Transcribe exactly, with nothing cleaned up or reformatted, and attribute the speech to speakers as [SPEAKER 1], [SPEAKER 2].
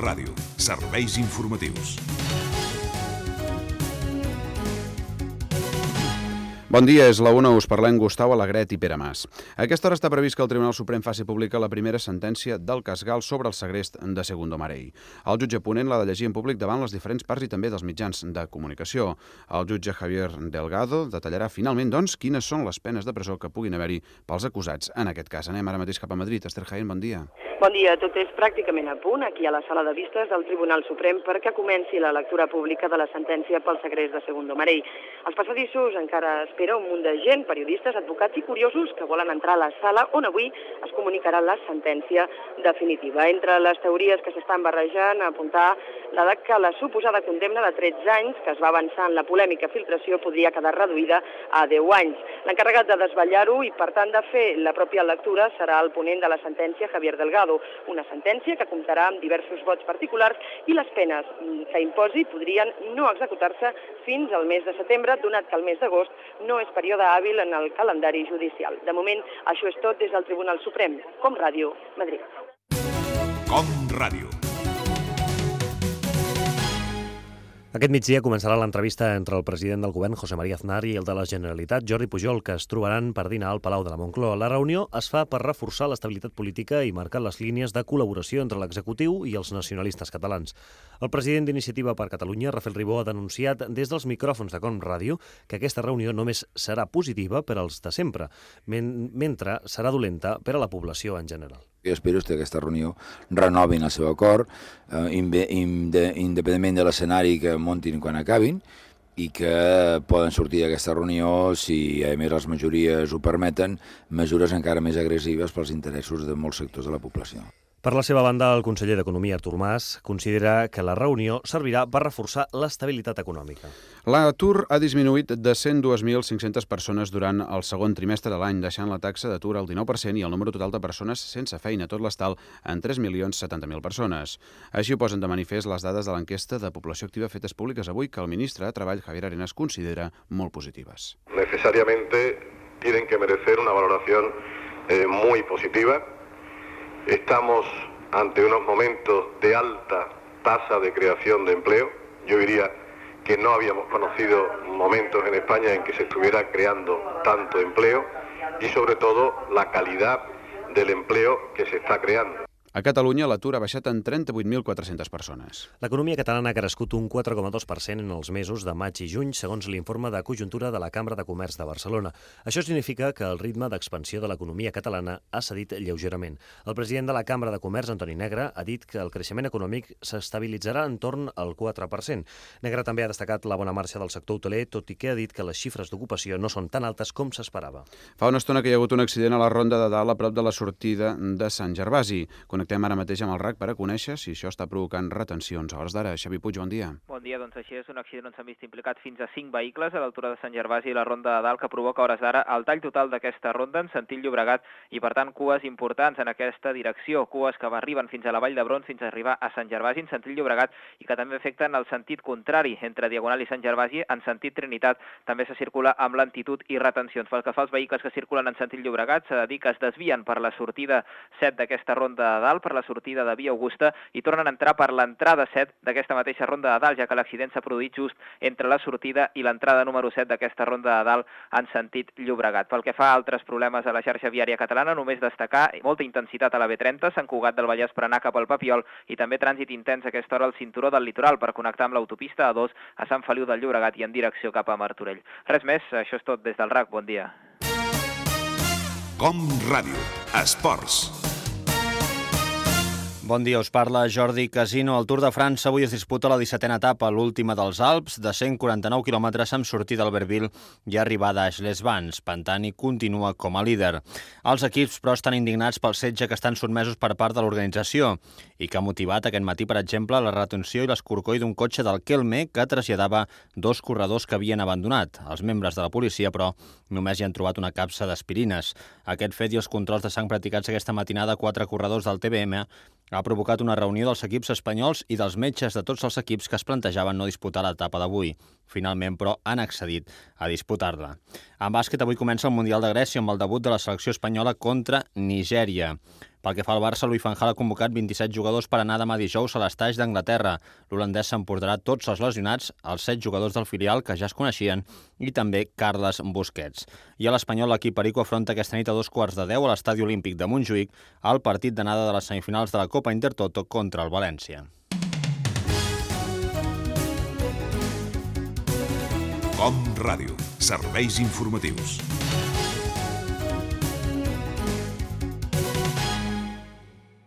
[SPEAKER 1] Ràdio. Serveis informatius.
[SPEAKER 2] Bon dia, és la una, us parlem Gustau Alegret i Pere Mas. A aquesta hora està previst que el Tribunal Suprem faci pública la primera sentència del cas Gal sobre el segrest de Segundo Marell. El jutge ponent l'ha de llegir en públic davant les diferents parts i també dels mitjans de comunicació. El jutge Javier Delgado detallarà finalment, doncs, quines són les penes de presó que puguin haver-hi pels acusats en aquest cas. Anem ara mateix cap a Madrid. Esther Jaén, bon dia.
[SPEAKER 3] Bon dia. Tot és pràcticament a punt aquí a la sala de vistes del Tribunal Suprem perquè comenci la lectura pública de la sentència pel segrest de Segundo Marell. Els passadissos encara espera un munt de gent, periodistes, advocats i curiosos que volen entrar a la sala on avui es comunicarà la sentència definitiva. Entre les teories que s'estan barrejant, apuntar la de que la suposada condemna de tretze anys, que es va avançar en la polèmica filtració, podria quedar reduïda a deu anys. L'encarregat de desvetllar-ho i, per tant, de fer la pròpia lectura serà el ponent de la sentència, Javier Delgado, una sentència que comptarà amb diversos vots particulars i les penes que imposi podrien no executar-se fins al mes de setembre, donat que el mes d'agost no és període hàbil en el calendari judicial. De moment, això és tot des del Tribunal Suprem. Com Ràdio, Madrid.
[SPEAKER 1] Com Ràdio.
[SPEAKER 4] Aquest migdia començarà l'entrevista entre el president del govern, José María Aznar, i el de la Generalitat, Jordi Pujol, que es trobaran per dinar al Palau de la Moncloa. La reunió es fa per reforçar l'estabilitat política i marcar les línies de col·laboració entre l'executiu i els nacionalistes catalans. El president d'Iniciativa per Catalunya, Rafael Ribó, ha denunciat des dels micròfons de Com Ràdio que aquesta reunió només serà positiva per als de sempre, men mentre serà dolenta per a la població en general.
[SPEAKER 5] Jo espero que aquesta reunió renovin el seu acord, eh, independentment de l'escenari que muntin quan acabin, i que poden sortir d'aquesta reunió, si a més les majories ho permeten, mesures encara més agressives pels interessos de molts sectors de la població.
[SPEAKER 4] Per la seva banda, el conseller d'Economia, Artur Mas, considera que la reunió servirà per reforçar l'estabilitat econòmica.
[SPEAKER 2] L'atur ha disminuït de cent dos mil cinc-centes persones durant el segon trimestre de l'any, deixant la taxa d'atur al dinou per cent i el número total de persones sense feina, tot l'estal, en tres milions setanta mil persones. Així ho posen de manifest les dades de l'enquesta de població activa fetes públiques avui, que el ministre de Treball, Javier Arenas, considera molt positives.
[SPEAKER 6] Necesariamente tienen que merecer una valoración eh, muy positiva. Estamos ante unos momentos de alta tasa de creación de empleo. Yo diría que no habíamos conocido momentos en España en que se estuviera creando tanto empleo y sobre todo la calidad del empleo que se está creando.
[SPEAKER 2] A Catalunya l'atur ha baixat en trenta-vuit mil quatre-centes persones.
[SPEAKER 4] L'economia catalana ha crescut un quatre coma dos per cent en els mesos de maig i juny, segons l'informe de conjuntura de la Cambra de Comerç de Barcelona. Això significa que el ritme d'expansió de l'economia catalana ha cedit lleugerament. El president de la Cambra de Comerç, Antoni Negre, ha dit que el creixement econòmic s'estabilitzarà entorn al quatre per cent. Negre també ha destacat la bona marxa del sector hoteler, tot i que ha dit que les xifres d'ocupació no són tan altes com s'esperava.
[SPEAKER 2] Fa una estona que hi ha hagut un accident a la Ronda de Dalt a prop de la sortida de Sant Gervasi. Connectem ara mateix amb el R A C per a conèixer si això està provocant retencions. A hores d'ara, Xavi Puig, bon dia.
[SPEAKER 7] Bon dia, doncs així és un accident on s'han vist implicats fins a cinc vehicles a l'altura de Sant Gervasi i la Ronda de Dalt, que provoca a hores d'ara el tall total d'aquesta ronda en sentit Llobregat i, per tant, cues importants en aquesta direcció, cues que arriben fins a la Vall d'Hebron fins a arribar a Sant Gervasi en sentit Llobregat i que també afecten el sentit contrari entre Diagonal i Sant Gervasi en sentit Trinitat. També se circula amb lentitud i retencions. Pel que fa als vehicles que circulen en sentit Llobregat, s'ha de dir que es desvien per la sortida set d'aquesta Ronda de Dalt, per la sortida de Via Augusta, i tornen a entrar per l'entrada set d'aquesta mateixa Ronda de Dalt, ja que l'accident s'ha produït just entre la sortida i l'entrada número set d'aquesta Ronda de Dalt en sentit Llobregat. Pel que fa a altres problemes a la xarxa viària catalana, només destacar molta intensitat a la B trenta, Sant Cugat del Vallès per anar cap al Papiol, i també trànsit intens a aquesta hora al cinturó del litoral per connectar amb l'autopista A dos a Sant Feliu del Llobregat i en direcció cap a Martorell. Res més, això és tot des del R A C. Bon dia.
[SPEAKER 1] Com Ràdio. Esports.
[SPEAKER 8] Bon dia, us parla Jordi Casino. El Tour de França avui es disputa la dissetena etapa, l'última dels Alps, de cent quaranta-nou quilòmetres amb sortida d'Albertville i arribada a Aix-les-Bains. Pantani continua com a líder. Els equips, però, estan indignats pel setge que estan sotmesos per part de l'organització i que ha motivat aquest matí, per exemple, la retenció i l'escorcoll d'un cotxe del Kelme que traslladava dos corredors que havien abandonat. Els membres de la policia, però, només hi han trobat una capsa d'aspirines. Aquest fet i els controls de sang practicats aquesta matinada a quatre corredors del T B M ha provocat una reunió dels equips espanyols i dels metges de tots els equips que es plantejaven no disputar l'etapa d'avui. Finalment, però, han accedit a disputar-la. En bàsquet, avui comença el Mundial de Grècia amb el debut de la selecció espanyola contra Nigèria. Pel que fa al Barça, Louis van Gaal ha convocat vint-i-set jugadors per anar demà dijous a l'estaix d'Anglaterra. L'holandès s'emportarà tots els lesionats, els set jugadors del filial que ja es coneixien i també Carles Busquets. I a l'Espanyol, l'equip perico afronta aquesta nit a dos quarts de deu a l'Estadi Olímpic de Montjuïc el partit d'anada de les semifinals de la Copa Intertoto contra el València.
[SPEAKER 1] Com Ràdio. Serveis informatius.